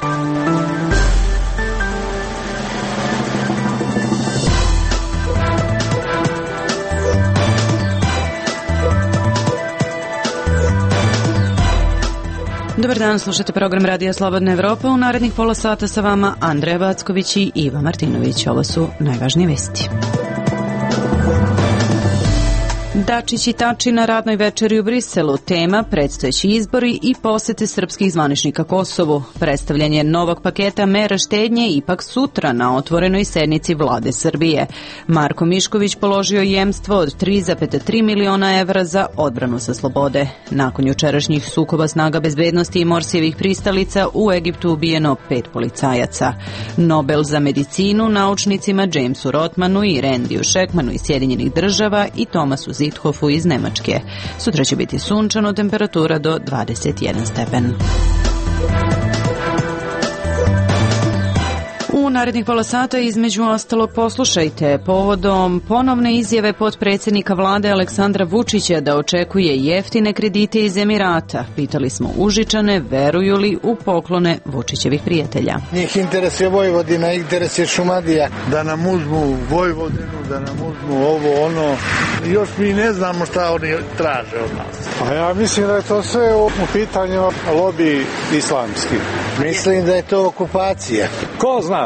Dobar dan, slušate program Radija Slobodna Evropa. U narednih pola sata sa vama Andreja Backović i Iva Martinović. Ovo su najvažnije vesti. Dačić i Tači na radnoj večeri u Briselu. Tema predstojeći izbori i posete srpskih zvaničnika Kosovu. Predstavljanje novog paketa mera štednje ipak sutra na otvorenoj sednici vlade Srbije. Marko Mišković položio jemstvo od 3,3 miliona evra za odbranu sa slobode. Nakon jučerašnjih sukoba snaga bezbednosti i Morsijevih pristalica u Egiptu ubijeno 5 policajaca. Nobel za medicinu naučnicima Jamesu Rotmanu i Rendiju Šekmanu iz Sjedinjenih Država i Tomasu Zithofu iz Nemačke. Sutra će biti sunčano, temperatura do 21 stepen. U narednih pola sata između ostalog poslušajte povodom ponovne izjave potpredsjednika vlade Aleksandra Vučića da očekuje jeftine kredite iz Emirata. Pitali smo Užičane veruju li u poklone Vučićevih prijatelja. Njih interesuje Vojvodina, interesuje Šumadija. Da nam uzmu Vojvodinu, da nam uzmu ovo, ono. Još mi ne znamo šta oni traže od nas. A ja mislim da je to sve u pitanju lobi islamski. Mislim da je to okupacija. Ko zna?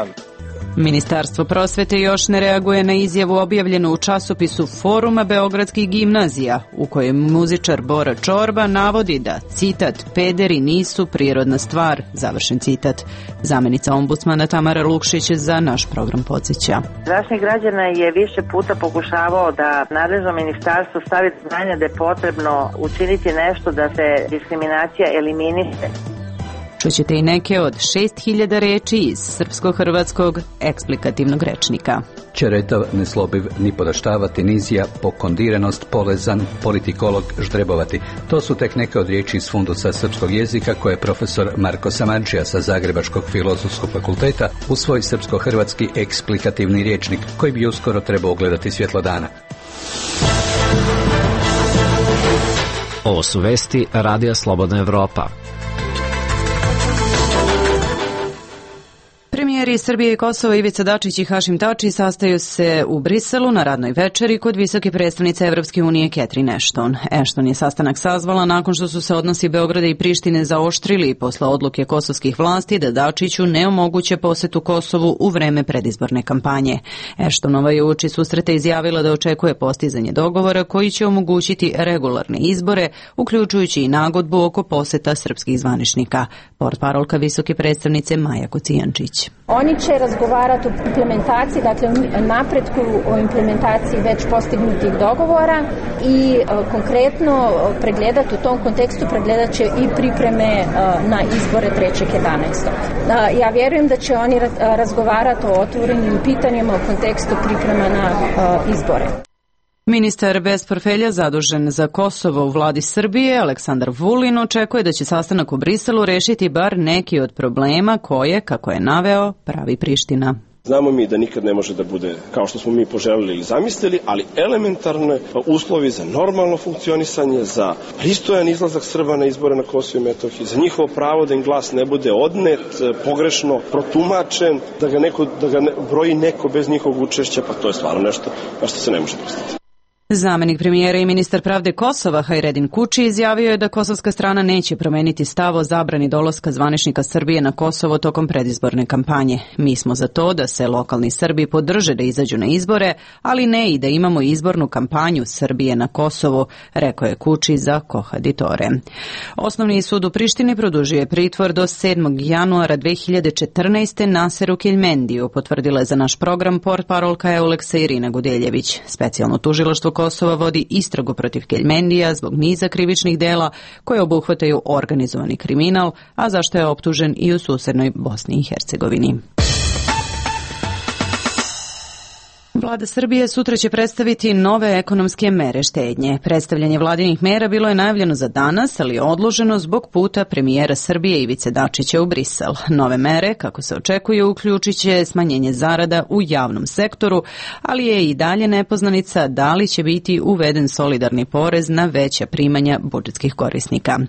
Ministarstvo prosvete još ne reaguje na izjavu objavljenu u časopisu Foruma beogradskih gimnazija, u kojem muzičar Bora Čorba navodi da, citat, pederi nisu prirodna stvar, završen citat. Zamenica ombudsmana Tamara Lukšić za naš program podsjeća. Zaštitnik građana je više puta pokušavao da nadležno ministarstvo stavi znanje da je potrebno učiniti nešto da se diskriminacija eliminiše. Čućete i neke od 6000 reči iz srpsko-hrvatskog eksplikativnog rečnika. Čeretav, neslobiv, ni podaštavati, nizija, pokondiranost, polezan, politikolog, ždrebovati. To su tek neke od riječi iz fundusa srpskog jezika koje je profesor Marko Samardžija sa Zagrebačkog filozofskog fakulteta u svoj srpsko-hrvatski eksplikativni rječnik koji bi uskoro trebao ugledati svjetlo dana. Ovo su vesti Radija Slobodna Evropa. Premijeri Srbije i Kosova Ivica Dačić i Hašim Tači sastaju se u Briselu na radnoj večeri kod visoke predstavnice Evropske unije Catherine Ashton. Ashton je sastanak sazvala nakon što su se odnosi Beograda i Prištine zaoštrili posle odluke kosovskih vlasti da Dačiću ne omoguće posetu Kosovu u vreme predizborne kampanje. Ashtonova je uoči susreta izjavila da očekuje postizanje dogovora koji će omogućiti regularne izbore, uključujući i nagodbu oko poseta srpskih zvaničnika. Portparolka visoke predstavnice Maja Kocijančić. Oni će razgovarati o implementaciji, dakle napretku o implementaciji već postignutih dogovora i konkretno pregledati u tom kontekstu, pregledat će i pripreme na izbore 3.11. Ja vjerujem da će oni razgovarati o otvorenim pitanjima u kontekstu priprema na izbore. Ministar bez portfelja zadužen za Kosovo u vladi Srbije, Aleksandar Vulin, očekuje da će sastanak u Briselu rešiti bar neki od problema koje, kako je naveo, pravi Priština. Znamo mi da nikad ne može da bude kao što smo mi poželili i zamislili, ali elementarne uslovi za normalno funkcionisanje, za pristojan izlazak Srba na izbore na Kosovu i Metohiji, za njihovo pravo da im glas ne bude odnet, pogrešno protumačen, da ga broji neko bez njihovog učešća, pa to je stvarno nešto na što se ne može pristati. Zamenik premijera i ministar pravde Kosova Hajredin Kuči izjavio je da kosovska strana neće promeniti stav o zabrani dolaska zvaničnika Srbije na Kosovo tokom predizborne kampanje. Mi smo za to da se lokalni Srbi podrže da izađu na izbore, ali ne i da imamo izbornu kampanju Srbije na Kosovu, rekao je Kuči za Kohaditore. Osnovni sud u Prištini produžio je pritvor do 7. januara 2014. Naseru Keljmendiju, potvrdila je za naš program portparolka Euleksa Irina Gudeljević. Specijalno tužilaštvo Kosova vodi istragu protiv Keljmendija zbog niza krivičnih dela koje obuhvataju organizovani kriminal, a zašto je optužen i u susednoj Bosni i Hercegovini. Vlada Srbije sutra će predstaviti nove ekonomske mere štednje. Predstavljanje vladinih mera bilo je najavljeno za danas, ali je odloženo zbog puta premijera Srbije Ivice Dačića u Brisel. Nove mere, kako se očekuje, uključit će smanjenje zarada u javnom sektoru, ali je i dalje nepoznanica da li će biti uveden solidarni porez na veća primanja budžetskih korisnika.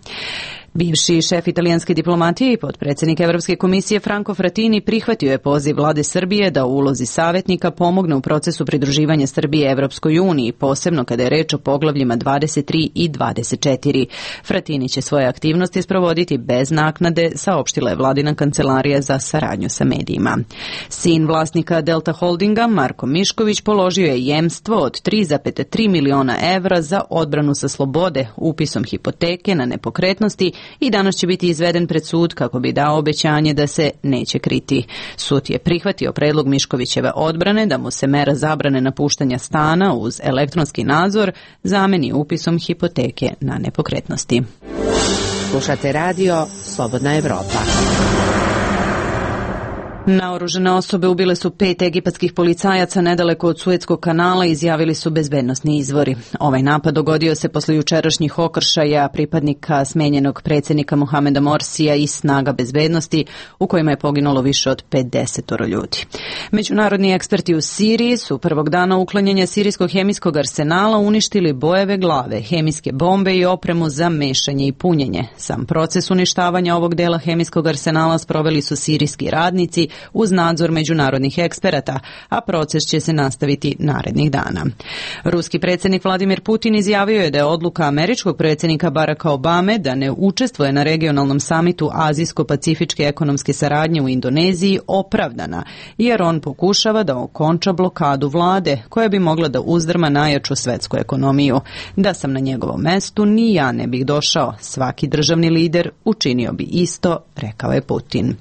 Bivši šef italijanske diplomatije i potpredsjednik Evropske komisije Franco Frattini prihvatio je poziv vlade Srbije da u ulozi savjetnika pomogne u procesu pridruživanja Srbije Evropskoj uniji, posebno kada je reč o poglavljima 23 i 24. Frattini će svoje aktivnosti sprovoditi bez naknade, saopštila je vladina kancelarija za saradnju sa medijima. Sin vlasnika Delta Holdinga, Marko Mišković, položio je jemstvo od 3,3 miliona evra za odbranu sa slobode upisom hipoteke na nepokretnosti i danas će biti izveden pred sud kako bi dao obećanje da se neće kriti. Sud je prihvatio predlog Miškovićeve odbrane da mu se mera zabrane napuštanja stana uz elektronski nadzor zameni upisom hipoteke na nepokretnosti. Slušate radio Slobodna Evropa. Naoružane osobe ubile su 5 egipatskih policajaca nedaleko od Suetskog kanala, izjavili su bezbednosni izvori. Ovaj napad dogodio se posle jučerašnjih okršaja pripadnika smenjenog predsjednika Mohameda Morsija i snaga bezbednosti, u kojima je poginulo više od 50 ljudi. Međunarodni eksperti u Siriji su prvog dana uklanjanja sirijskog hemijskog arsenala uništili bojeve glave, hemijske bombe i opremu za mešanje i punjenje. Sam proces uništavanja ovog dela hemijskog arsenala sproveli su sirijski radnici uz nadzor međunarodnih eksperata, a proces će se nastaviti narednih dana. Ruski predsjednik Vladimir Putin izjavio je da je odluka američkog predsjednika Baracka Obame da ne učestvuje na regionalnom samitu Azijsko-pacifičke ekonomske saradnje u Indoneziji opravdana, jer on pokušava da okonča blokadu vlade koja bi mogla da uzdrma najjaču svetsku ekonomiju. Da sam na njegovom mestu, ni ja ne bih došao. Svaki državni lider učinio bi isto, rekao je Putin.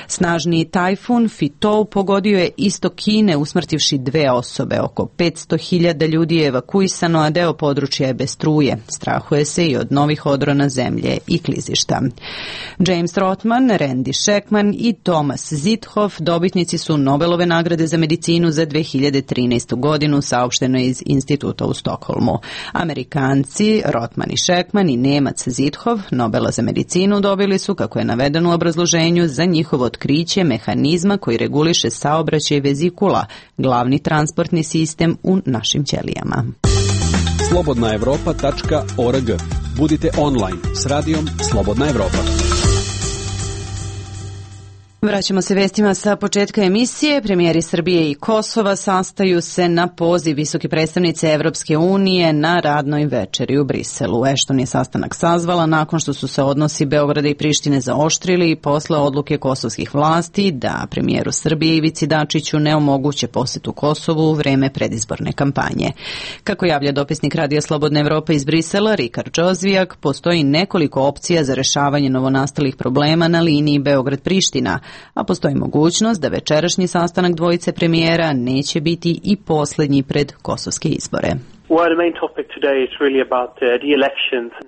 Snažni tajfun Fitou pogodio je istok Kine, usmrtivši 2 osobe. Oko 500.000 ljudi je evakuisano, a deo područja je bez struje. Strahuje se i od novih odrona zemlje i klizišta. James Rothman, Randy Sheckman i Thomas Zithoff dobitnici su Nobelove nagrade za medicinu za 2013. godinu, saopšteno iz instituta u Stokholmu. Amerikanci Rothman i Sheckman i Nemac Zithoff Nobela za medicinu dobili su, kako je navedeno u obrazloženju, za njihovo otkriće mehanizma koji reguliše saobraćaj vezikula, glavni transportni sistem u našim ćelijama. slobodnaevropa.org. Budite online s radijom Slobodna Evropa. Vraćamo se vestima sa početka emisije. Premijeri Srbije i Kosova sastaju se na poziv visoke predstavnice Evropske unije na radnoj večeri u Briselu. Ashton je sastanak sazvala nakon što su se odnosi Beograda i Prištine zaoštrili posle odluke kosovskih vlasti da premijeru Srbije Ivici Dačiću ne omoguće posetu Kosovu u vreme predizborne kampanje. Kako javlja dopisnik Radija Slobodna Evropa iz Brisela, Rikard Džozvijak, postoji nekoliko opcija za rešavanje novonastalih problema na liniji Beograd-Priština, a postoji mogućnost da večerašnji sastanak dvojice premijera neće biti i posljednji pred kosovske izbore.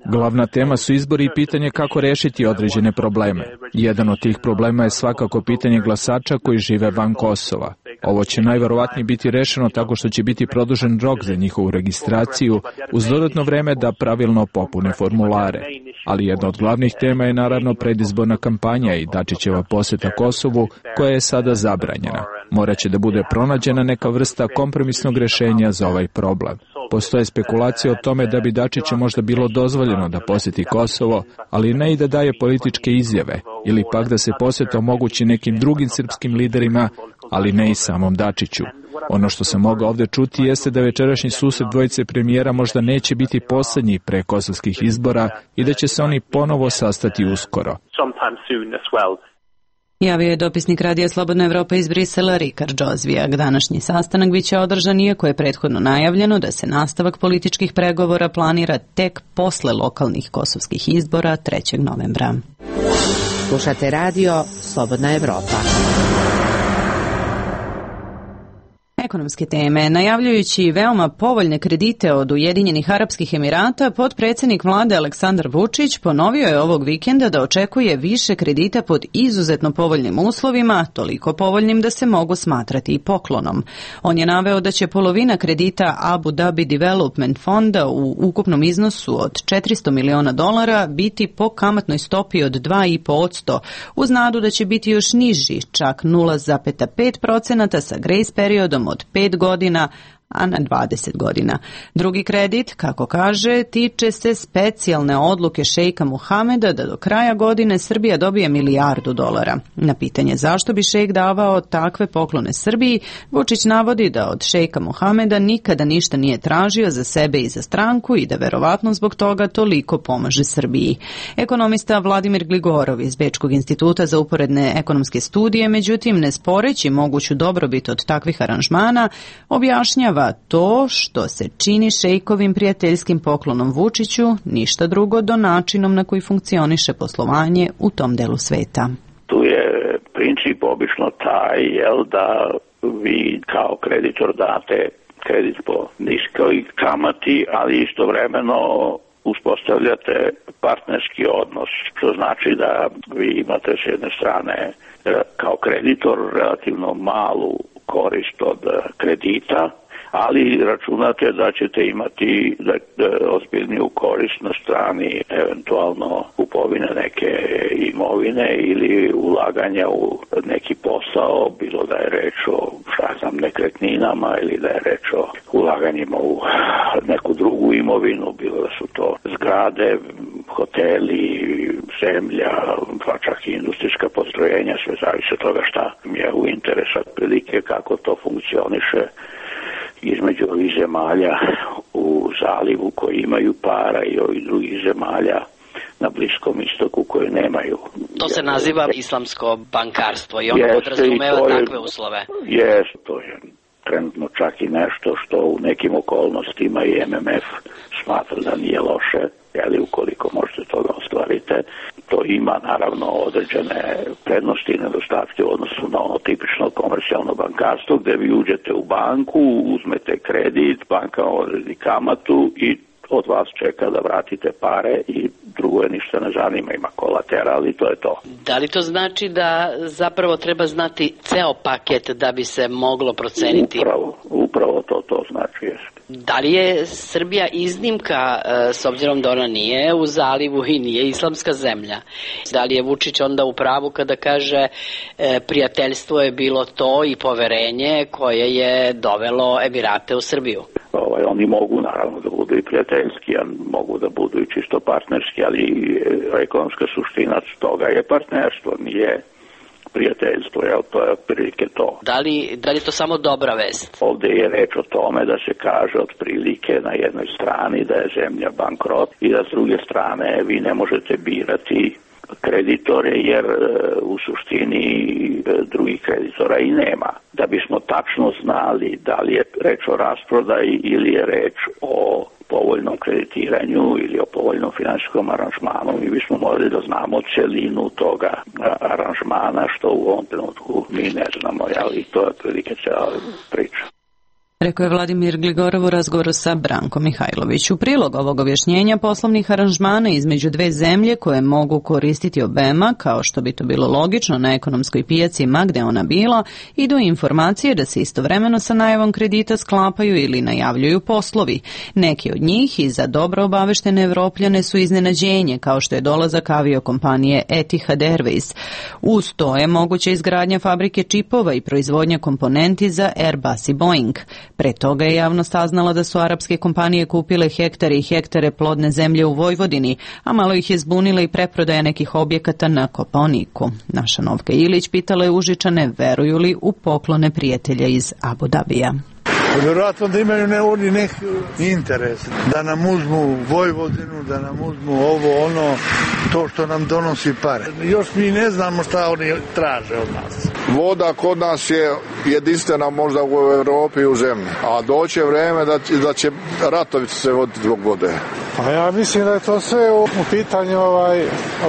Glavna tema su izbori i pitanje kako rešiti određene probleme. Jedan od tih problema je svakako pitanje glasača koji žive van Kosova. Ovo će najverovatnije biti rešeno tako što će biti produžen rok za njihovu registraciju uz dodatno vreme da pravilno popune formulare. Ali jedna od glavnih tema je naravno predizborna kampanja i Dačićeva poseta Kosovu, koja je sada zabranjena. Moraće da bude pronađena neka vrsta kompromisnog rešenja za ovaj problem. Postoje spekulacije o tome da bi Dačiću možda bilo dozvoljeno da poseti Kosovo, ali ne i da daje političke izjave, ili pak da se poseta omogući nekim drugim srpskim liderima, ali ne i samom Dačiću. Ono što sam mogao ovdje čuti jeste da večerašnji susret dvojice premijera možda neće biti posljednji pre kosovskih izbora i da će se oni ponovo sastati uskoro. Javio je dopisnik Radija Slobodna Evropa iz Brisela Rikard Džozvijak. Današnji sastanak biće održan iako je prethodno najavljeno da se nastavak političkih pregovora planira tek posle lokalnih kosovskih izbora 3. novembra. Slušate radio Slobodna Evropa. Ekonomske teme. Najavljujući veoma povoljne kredite od Ujedinjenih Arapskih Emirata, potpredsjednik vlade Aleksandar Vučić ponovio je ovog vikenda da očekuje više kredita pod izuzetno povoljnim uslovima, toliko povoljnim da se mogu smatrati i poklonom. On je naveo da će polovina kredita Abu Dhabi Development Fonda u ukupnom iznosu od $400 miliona biti po kamatnoj stopi od 2,5%, uz nadu da će biti još niži, čak 0,5% sa grace periodom od 5 godina, a na 20 godina. Drugi kredit, kako kaže, tiče se specijalne odluke šejka Muhameda da do kraja godine Srbija dobije $1 milijardu. Na pitanje zašto bi šejk davao takve poklone Srbiji, Vučić navodi da od šejka Muhameda nikada ništa nije tražio za sebe i za stranku i da verovatno zbog toga toliko pomaže Srbiji. Ekonomista Vladimir Gligorov iz Bečkog instituta za uporedne ekonomske studije, međutim ne sporeći moguću dobrobit od takvih aranžmana, objašnjava to što se čini šejkovim prijateljskim poklonom Vučiću, ništa drugo do načinom na koji funkcioniše poslovanje u tom delu sveta. Tu je princip obično taj, da vi kao kreditor date kredit po niskoj kamati, ali istovremeno uspostavljate partnerski odnos, što znači da vi imate s jedne strane kao kreditor relativno malu korist od kredita, ali računate da ćete imati ozbiljniju korist na strani eventualno kupovine neke imovine ili ulaganja u neki posao, bilo da je reč o nekretninama ili da je reč o ulaganjima u neku drugu imovinu, bilo da su to zgrade, hoteli, zemlja, pa čak i industrijska postrojenja, sve zavisi od toga šta mi je u interesu prilike, kako to funkcioniše između ovih zemalja u zalivu koji imaju para i ovih drugih zemalja na Bliskom istoku koji nemaju. To se naziva islamsko bankarstvo i ono podrazumeva takve uslove. To je trenutno čak i nešto što u nekim okolnostima i MMF smatra da nije loše, ali ukoliko možete to da ostvarite, to ima naravno određene prednosti i nedostatke u odnosu na ono tipično komercijalno bankarstvo, gde vi uđete u banku, uzmete kredit, banka odredi kamatu i od vas čeka da vratite pare i drugo je ništa ne zanima, ima kolateral i to je to. Da li to znači da zapravo treba znati ceo paket da bi se moglo proceniti? Upravo to znači jeste. Da li je Srbija iznimka s obzirom da ona nije u zalivu i nije islamska zemlja? Da li je Vučić onda u pravu kada kaže prijateljstvo je bilo to i poverenje koje je dovelo Emirate u Srbiju? Oni mogu naravno da budu i prijateljski, a mogu da budu i čisto partnerski, ali ekonomska suština toga je partnerstvo, nije prijateljstvo, to je otprilike to. Da li je to samo dobra vest? Ovde je reč o tome da se kaže otprilike na jednoj strani da je zemlja bankrot i da s druge strane vi ne možete birati kreditore jer u suštini drugih kreditora i nema. Da bismo tačno znali da li je reč o rasprodaji ili je reč o povoljnom kreditiranju ili o povoljnom finansijskom aranžmanu, mi bismo morali da znamo celinu toga aranžmana, što u ovom trenutku mi ne znamo, ali to je otprilike cijela priča. Rekao je Vladimir Gligorov u razgovoru sa Brankom Mihajlović. U prilog ovog objašnjenja poslovnih aranžmana između dve zemlje koje mogu koristiti obema, kao što bi to bilo logično na ekonomskoj pijaci ma gde ona bila, idu informacije da se istovremeno sa najavom kredita sklapaju ili najavljuju poslovi. Neki od njih i za dobro obaveštene Evropljane su iznenađenje, kao što je dolazak aviokompanije Etihad Airways. Uz to je moguća izgradnja fabrike čipova i proizvodnja komponenti za Airbus i Boeing. Pre toga je javnost saznala da su arapske kompanije kupile hektare i hektare plodne zemlje u Vojvodini, a malo ih je zbunila i preprodaja nekih objekata na Kopaoniku. Naša Novka Ilić pitala je Užičane veruju li u poklone prijatelja iz Abu Dabija. Vjerojatno da imaju oni neki interes, da nam uzmu Vojvodinu, da nam uzmu ovo, ono, to što nam donosi pare. Još mi ne znamo šta oni traže od nas. Voda kod nas je jedinstvena možda u Evropi i u zemlji, a doće vreme da će ratovi se voditi zbog vode. Pa ja mislim da je to sve u pitanju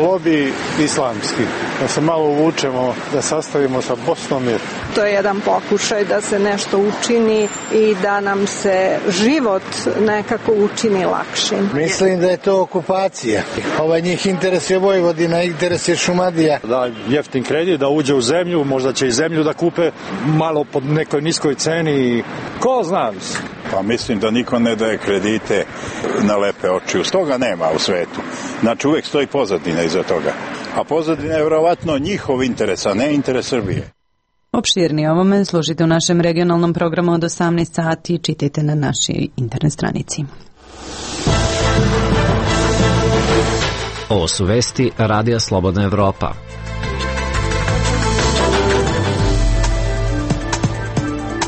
lobi islamski. Da se malo uvučemo, da sastavimo sa Bosnom. To je jedan pokušaj da se nešto učini i da nam se život nekako učini lakšim. Mislim da je to okupacija. Njih interesuje Vojvodina, interesuje Šumadija. Da jeftin kredit, da uđe u zemlju, možda će i zemlju da kupe malo pod nekoj niskoj ceni. Ko zna? Pa mislim da niko ne daje kredite na lepe oči. Uz toga nema u svetu. Znači uvek stoji pozadina iza toga. A pozadina je vjerovatno njihov interes, a ne interes Srbije. Opširnije ovome slušajte u našem regionalnom programu od 18 sati i čitajte na našoj internet stranici. Ovo su vesti Radija Slobodna Evropa.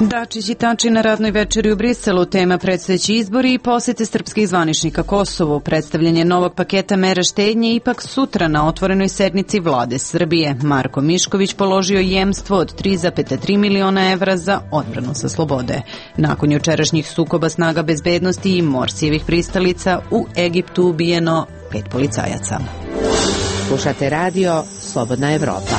Dačić i Tači na radnoj večeri u Briselu, tema predstojeći izbori i posete srpskih zvaničnika Kosovu. Predstavljanje novog paketa mera štednje ipak sutra na otvorenoj sednici vlade Srbije. Marko Mišković položio jemstvo od 3,3 miliona evra za odbranu sa slobode. Nakon jučerašnjih sukoba snaga bezbednosti i Morsijevih pristalica u Egiptu ubijeno 5 policajaca. Slušate radio Slobodna Evropa.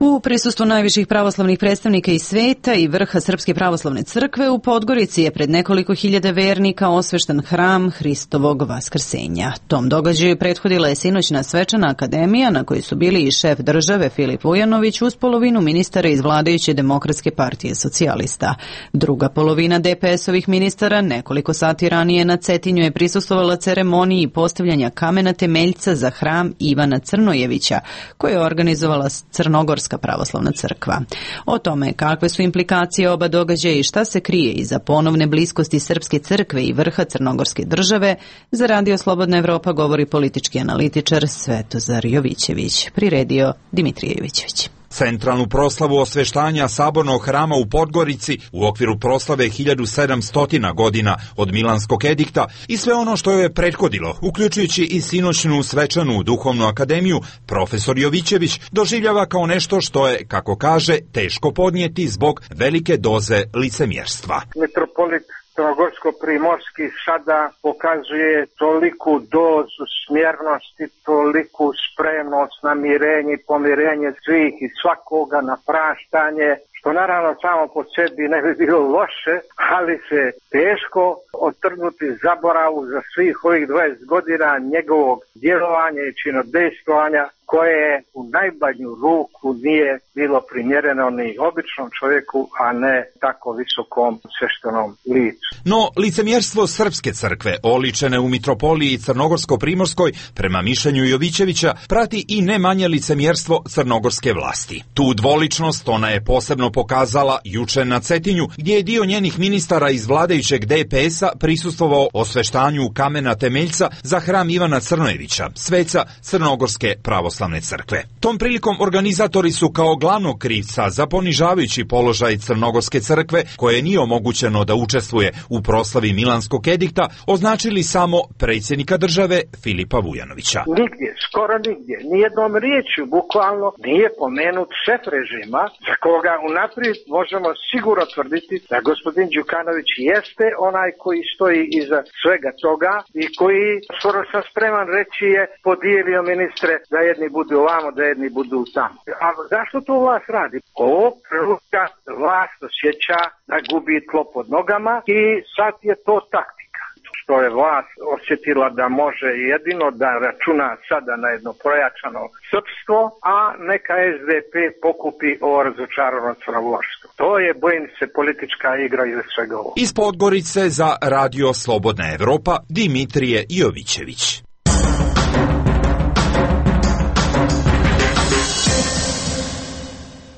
U prisustvu najviših pravoslavnih predstavnika iz sveta i vrha Srpske pravoslavne crkve u Podgorici je pred nekoliko hiljada vernika osvešten hram Hristovog vaskrsenja. Tom događaju prethodila je sinoćna svečana akademija na kojoj su bili i šef države Filip Vujanović uz polovinu ministara iz vladajuće Demokratske partije socijalista. Druga polovina DPS-ovih ministara nekoliko sati ranije na Cetinju je prisustvovala ceremoniji postavljanja kamena temeljca za hram Ivana Crnojevića, koje je organizovala Crnogorska pravoslavna crkva. O tome kakve su implikacije oba događaja i šta se krije iza ponovne bliskosti Srpske crkve i vrha Crnogorske države, za Radio Slobodna Evropa govori politički analitičar Svetozar Jovićević. Priredio Dimitrije Jovićević. Centralnu proslavu osveštanja Sabornog hrama u Podgorici u okviru proslave 1700 godina od Milanskog edikta i sve ono što je prethodilo, uključujući i sinoćnu svečanu duhovnu akademiju, profesor Jovićević doživljava kao nešto što je, kako kaže, teško podnijeti zbog velike doze licemjerstva. Metropolit Crnogorsko-primorski sada pokazuje toliku dozu smjernosti, toliku spremnost na mirenje i pomirenje svih i svakoga na praštanje, što naravno samo po sebi ne bi bilo loše, ali se teško otrgnuti zaboravu za svih ovih 20 godina njegovog djelovanja i činodejstvovanja, koje u najmanju ruku nije bilo primjereno ni običnom čovjeku, a ne tako visokom sveštenom licu. No, licemjerstvo Srpske crkve, oličene u mitropoliji Crnogorsko-primorskoj, prema mišljenju Jovićevića, prati i ne manje licemjerstvo crnogorske vlasti. Tu dvoličnost ona je posebno pokazala juče na Cetinju, gdje je dio njenih ministara iz vladajućeg DPS-a prisustvovao osveštanju kamena temeljca za hram Ivana Crnojevića, sveca Crnogorske pravoslavne crkve. Tom prilikom organizatori su kao glavnog krivca za ponižavajući položaj Crnogorske crkve, koje nije omogućeno da učestvuje u proslavi Milanskog edikta, označili samo predsjednika države Filipa Vujanovića. Nigdje, skoro nigdje, nijednom riječju bukvalno nije pomenut šef režima, za koga unaprijed možemo sigurno tvrditi da gospodin Đukanović jeste onaj koji stoji iza svega toga i koji, skoro sam spreman reći, je podijelio ministre da jedni budu ovamo, da jedni budu tamo. A zašto to vlast radi? Ovog trenutka vlast osjeća da gubi tlo pod nogama i sad je to taktika. Što je vlast osjetila da može jedino da računa sada na jedno projačano srpstvo, a neka SDP pokupi ovo razočarano crnogorstvo. To je, bojim se, politička igra iza svega ovo. Iz Podgorice za Radio Slobodna Evropa, Dimitrije Jovićević.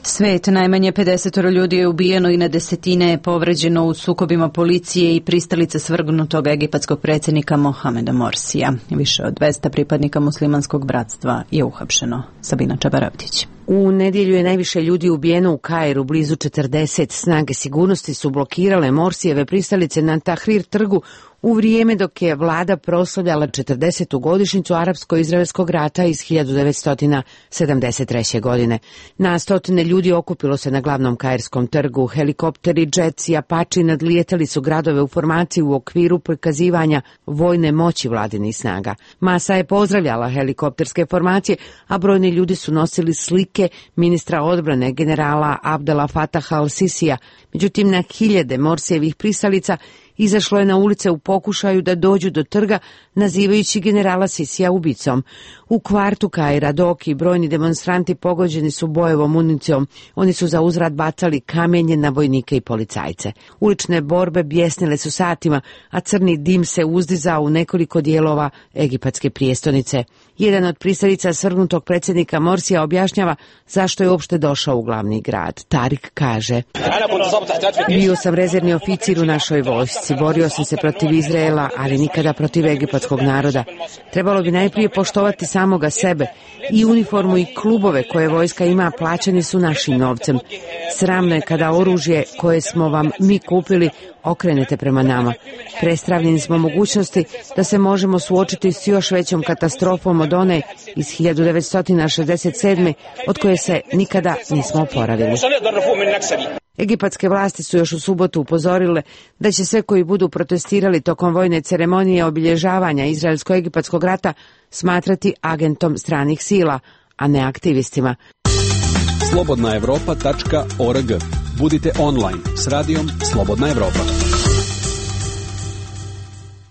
Svet, najmanje 50 ljudi je ubijeno i na desetine je povređeno u sukobima policije i pristalice svrgnutog egipatskog predsjednika Mohameda Morsija. Više od 200 pripadnika muslimanskog bratstva je uhapšeno. Sabina Čabaravdić. U nedjelju je najviše ljudi ubijeno u Kairu, blizu 40. Snage sigurnosti su blokirale Morsijeve pristalice na Tahrir trgu u vrijeme dok je vlada proslavljala 40. godišnjicu Arapsko-izraelskog rata iz 1973. godine. Na stotine ljudi okupilo se na glavnom kairskom trgu. Helikopteri, džetsi i Apači nadlijetali su gradove u formaciji u okviru prikazivanja vojne moći vladinih snaga. Masa je pozdravljala helikopterske formacije, a brojni ljudi su nosili slike ministra odbrane generala Abdela Fataha al-Sisija. Međutim, na hiljade Morsijevih pristalica izašlo je na ulice u pokušaju da dođu do trga, nazivajući generala Sisija ubicom. U kvartu Kaira Doki brojni demonstranti pogođeni su bojevom municijom. Oni su za uzvrat bacali kamenje na vojnike i policajce. Ulične borbe bjesnile su satima, a crni dim se uzdizao u nekoliko dijelova egipatske prijestolnice. Jedan od pristalica svrgnutog predsjednika Morsija objašnjava zašto je uopšte došao u glavni grad. Tarik kaže: bio sam rezervni oficir u našoj vojsci, borio sam se protiv Izraela, ali nikada protiv egipatskog naroda. Trebalo bi najprije poštovati samoga sebe. I uniformu i klubove koje vojska ima plaćeni su našim novcem. Sramno je kada oružje koje smo vam mi kupili okrenete prema nama. Prestravljeni smo mogućnosti da se možemo suočiti s još većom katastrofom od one iz 1967. od koje se nikada nismo oporavili. Egipatske vlasti su još u subotu upozorile da će sve koji budu protestirali tokom vojne ceremonije obilježavanja izraelsko-egipatskog rata smatrati agentom stranih sila, a ne aktivistima. Slobodnaevropa.org. Budite online s radijom Slobodna Evropa.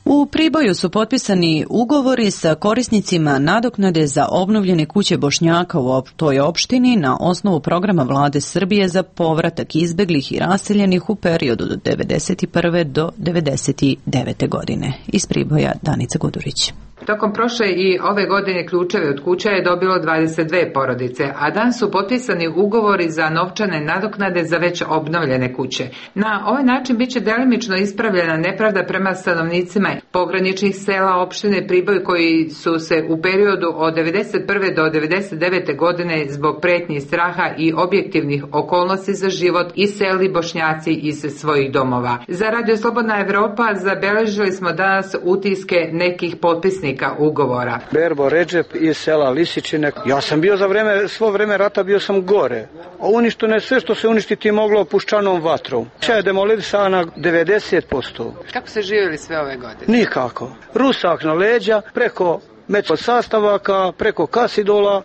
U Priboju su potpisani ugovori sa korisnicima nadoknade za obnovljene kuće Bošnjaka u toj opštini na osnovu programa Vlade Srbije za povratak izbeglih i raseljenih u periodu od 1991. do 1999. godine. Iz Priboja Danica Gudurić. Tokom prošle i ove godine ključeve od kuća je dobilo 22 porodice, a dan su potpisani ugovori za novčane nadoknade za već obnovljene kuće. Na ovaj način biće delimično ispravljena nepravda prema stanovnicima pograničnih sela opštine Priboj koji su se u periodu od 1991. do 1999. godine zbog pretnji straha i objektivnih okolnosti za život iselili Bošnjaci iz svojih domova. Za Radio Slobodna Evropa zabeležili smo danas utiske nekih potpisnika ugovora. Berbo Redžep iz sela Lisičine. Ja sam bio svo vreme rata bio sam gore. A uništeno je sve što se uništiti moglo puščanom vatrom. Kuća je demolisana 90%. Kako se živjeli sve ove godine? Nikako. Rusak na leđa, preko metod sastavaka, preko Kasidola,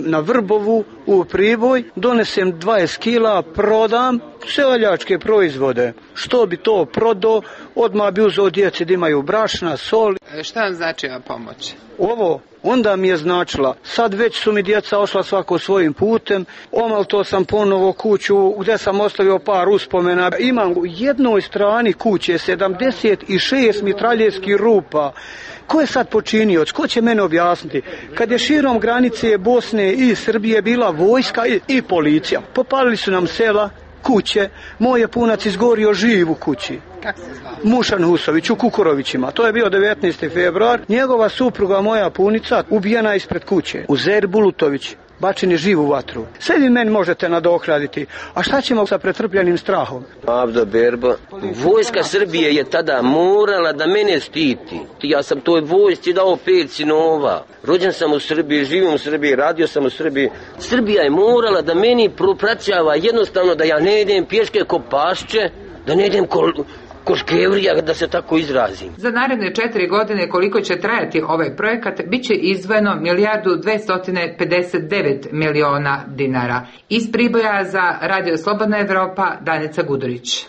na Vrbovu u Priboj, donesem 20 kila, prodam seljačke proizvode. Što bi to prodao, odmah bi uzeo djeci da imaju brašna, sol. Šta vam znači ova pomoć? Ovo onda mi je značila. Sad već su mi djeca ošla svako svojim putem. Omalto sam ponovo kuću gdje sam ostavio par uspomena. Imam u jednoj strani kuće 76 mitraljevskih rupa. Ko je sad počinioc? Ko će mene objasniti? Kad je širom granice Bosne i Srbije bila vojska i policija. Popalili su nam sela, kuće. Moj je punac izgorio živ u kući. Kako se zvao? Mušan Husović u Kukurovićima. To je bio 19. februar. Njegova supruga, moja punica, ubijena ispred kuće. Uzer Bulutović, bačeni živ u vatru. Sve vi meni možete nadoknaditi. A šta ćemo sa pretrpljenim strahom? Abdo Berbo, vojska Srbije je tada morala da mene štiti. Ja sam toj vojsci dao 5 sinova. Rođen sam u Srbiji, živim u Srbiji, radio sam u Srbiji. Srbija je morala da meni propraćava jednostavno da ja ne idem pješke ko pašče, da ne idem ko škevrija, da se tako izrazim. Za naredne 4 godine koliko će trajati ovaj projekat, bit će izdvojeno 1.259 miliona dinara. Iz Priboja za Radio Slobodna Evropa, Danica Gudurić.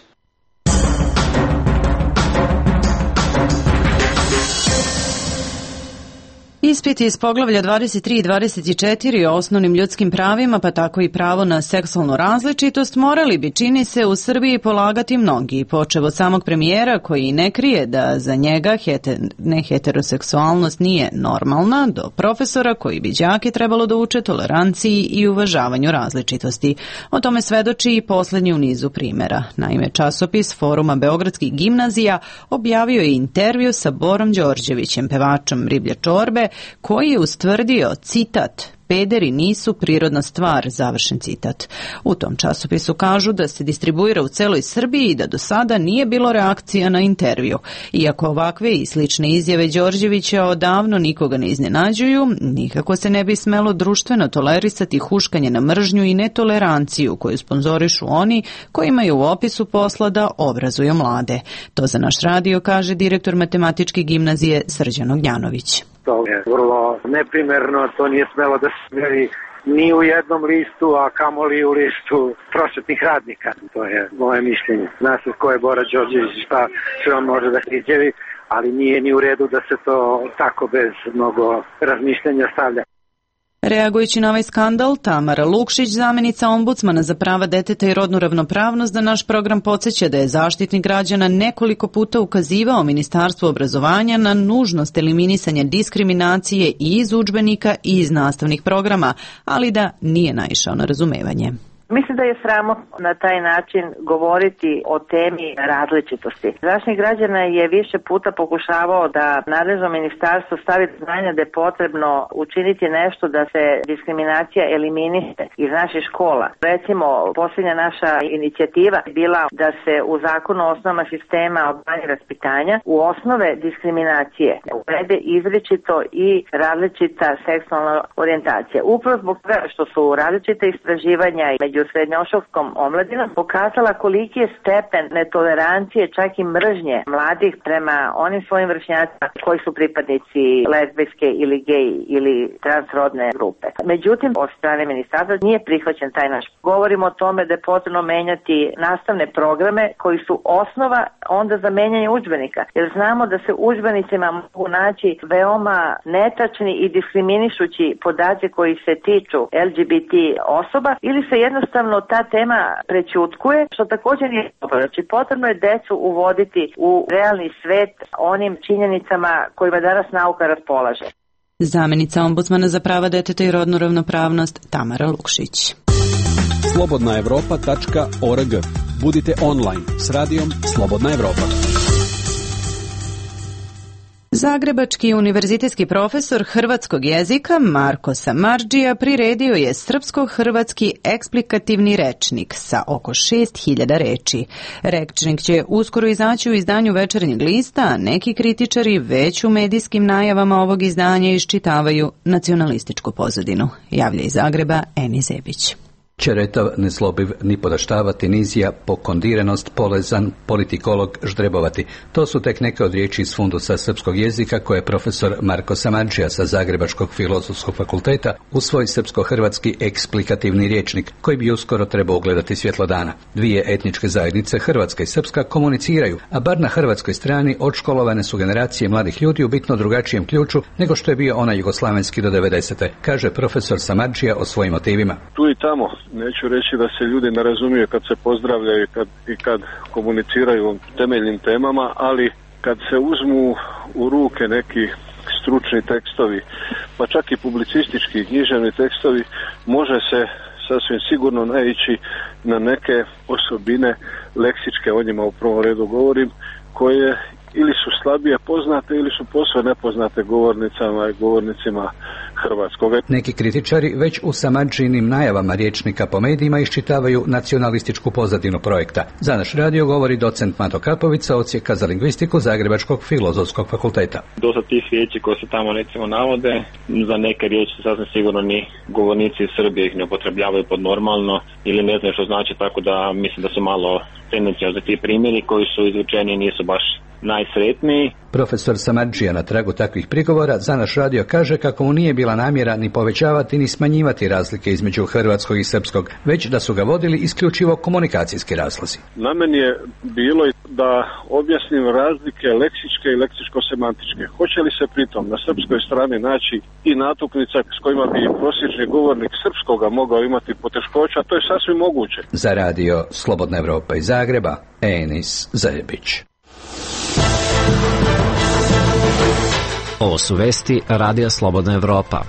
Ispiti iz poglavlja 23 i 24 o osnovnim ljudskim pravima, pa tako i pravo na seksualnu različitost, morali bi, čini se, u Srbiji polagati mnogi, počev od samog premijera koji ne krije da za njega neheteroseksualnost nije normalna, do profesora koji bi đake trebalo da uče toleranciji i uvažavanju različitosti. O tome svedoči i posljednji u nizu primjera. Naime, časopis Foruma Beogradskih gimnazija objavio je intervju sa Borom Đorđevićem, pevačom Riblje čorbe, koji je ustvrdio, citat, pederi nisu prirodna stvar, završen citat. U tom časopisu kažu da se distribuira u celoj Srbiji i da do sada nije bilo reakcija na intervju. Iako ovakve i slične izjave Đorđevića odavno nikoga ne iznenađuju, nikako se ne bi smelo društveno tolerisati huškanje na mržnju i netoleranciju koju sponzorišu oni koji imaju u opisu posla da obrazuju mlade. To za naš radio kaže direktor Matematičke gimnazije Srđan Ognjanović. To je vrlo neprimerno, to nije smelo da se veri ni u jednom listu, a kamoli u listu prosvetnih radnika. To je moje mišljenje. Zna se ko je Bora Đorđević i šta sve on može da izjavi, ali nije ni u redu da se to tako bez mnogo razmišljanja stavlja. Reagujući na ovaj skandal, Tamara Lukšić, zamenica ombudsmana za prava deteta i rodnu ravnopravnost, da naš program podsjeća da je Zaštitnik građana nekoliko puta ukazivao Ministarstvu obrazovanja na nužnost eliminisanja diskriminacije i iz udžbenika i iz nastavnih programa, ali da nije naišao na razumevanje. Mislim da je sramotno na taj način govoriti o temi različitosti. Zaštitnik građana je više puta pokušavao da nadležno ministarstvo stavi do znanja da je potrebno učiniti nešto da se diskriminacija eliminiše iz naših škola. Recimo, posljednja naša inicijativa je bila da se u zakonu o osnovama sistema obrazovanja i vaspitanja u osnove diskriminacije uvede izričito i različita seksualna orijentacija. Upravo zbog toga što su različite istraživanja među srednjoškolskom omladinom pokazala koliki je stepen netolerancije, čak i mržnje mladih prema onim svojim vršnjacima koji su pripadnici lezbijske ili gej ili transrodne grupe. Međutim, od strane ministarstva nije prihvaćen taj naš. Govorimo o tome da je potrebno menjati nastavne programe koji su osnova onda za menjanje udžbenika. Jer znamo da se u udžbenicima mogu naći veoma netačni i diskriminišući podaci koji se tiču LGBT osoba ili se jednostavno ta tema prećutkuje, što također nije dobro. Znači, potrebno je decu uvoditi u realni svet onim činjenicama kojima danas nauka raspolaže. Zamenica ombudsmana za prava deteta i rodnu ravnopravnost Tamara Lukšić. slobodnaevropa.org. Budite online s radijom Slobodna Evropa. Zagrebački univerzitetski profesor hrvatskog jezika Marko Samardžija priredio je srpsko-hrvatski eksplikativni rečnik sa oko 6000 reči. Rečnik će uskoro izaći u izdanju Večernjeg lista, a neki kritičari već u medijskim najavama ovog izdanja iščitavaju nacionalističku pozadinu. Javlja iz Zagreba Eni Zebić. Čeretav, nezlobiv, nipodaštavati, nizija, pokondiranost, polezan, politikolog, ždrebovati. To su tek neke od riječi iz fundusa srpskog jezika koje je profesor Marko Samardžija sa Zagrebačkog filozofskog fakulteta u svoj srpsko-hrvatski eksplikativni rječnik, koji bi uskoro trebao ugledati svjetlo dana. Dvije etničke zajednice, Hrvatska i Srpska, komuniciraju, a bar na hrvatskoj strani odškolovane su generacije mladih ljudi u bitno drugačijem ključu nego što je bio onaj jugoslavenski do 90. Kaže profesor Samardžija o svojim motivima. Tu i tamo. Neću reći da se ljudi ne razumiju kad se pozdravljaju i kad komuniciraju o temeljnim temama, ali kad se uzmu u ruke neki stručni tekstovi, pa čak i publicistički i književni tekstovi, može se sasvim sigurno naići na neke osobine leksičke, o njima u prvom redu govorim, koje ili su slabije poznate ili su posve nepoznate govornicama i govornicima hrvatskog. Neki kritičari već u Samardžijinim najavama rječnika po medijima iščitavaju nacionalističku pozadinu projekta. Za naš radio govori docent Mato Kapovica, odsjeka za lingvistiku Zagrebačkog filozofskog fakulteta. Dosta tih riječi koje se tamo recimo navode, za neke riječi sasvim sigurno ni govornici iz Srbije ih ne upotrebljavaju pod normalno ili ne znaju što znači, tako da mislim da su malo tendenciozni ti primjeri koji su izvučeni nisu baš najsretniji. Profesor Samardžija na tragu takvih prigovora za naš radio kaže kako mu nije bila namjera ni povećavati ni smanjivati razlike između hrvatskog i srpskog, već da su ga vodili isključivo komunikacijski razlozi. Na meni je bilo da objasnim razlike leksičke i leksičko-semantičke. Hoće li se pritom na srpskoj strani naći i natuknica s kojima bi prosječni govornik srpskoga mogao imati poteškoća, to je sasvim moguće. Za radio Slobodna Evropa iz Zagreba, Enis Zebić. Ovo su vesti Radija Slobodna Evropa.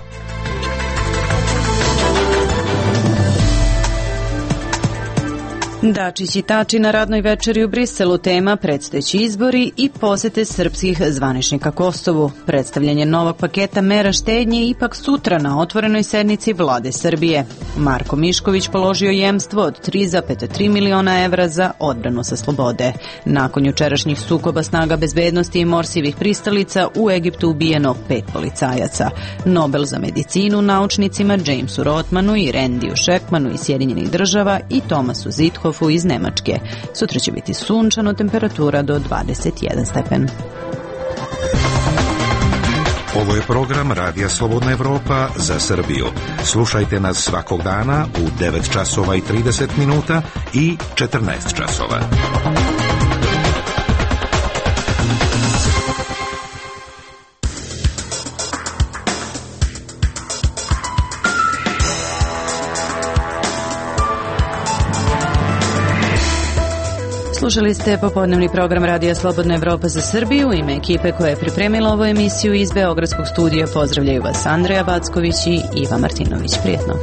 Dačić i Tači na radnoj večeri u Briselu, tema predstojeći izbori i posete srpskih zvaničnika Kosovu. Predstavljanje novog paketa mera štednje ipak sutra na otvorenoj sednici vlade Srbije. Marko Mišković položio jemstvo od 3,3 miliona evra za odbranu sa slobode. Nakon jučerašnjih sukoba snaga bezbednosti i morsivih pristalica u Egiptu ubijeno 5 policajaca. Nobel za medicinu naučnicima Jamesu Rothmanu i Rendiju Šekmanu iz Sjedinjenih država i Tomasu Zithofu iz Nemačke. Sutra će biti sunčano, temperatura do 21 stepen. Ovo je program Radija Slobodna Evropa za Srbiju. Slušajte nas svakog dana u 9 časova i 30 minuta i 14 časova. Slušali ste popodnevni program Radija Slobodna Evropa za Srbiju. U ime ekipe koja je pripremila ovu emisiju iz Beogradskog studija pozdravljaju vas Andreja Backović i Iva Martinović. Prijetno.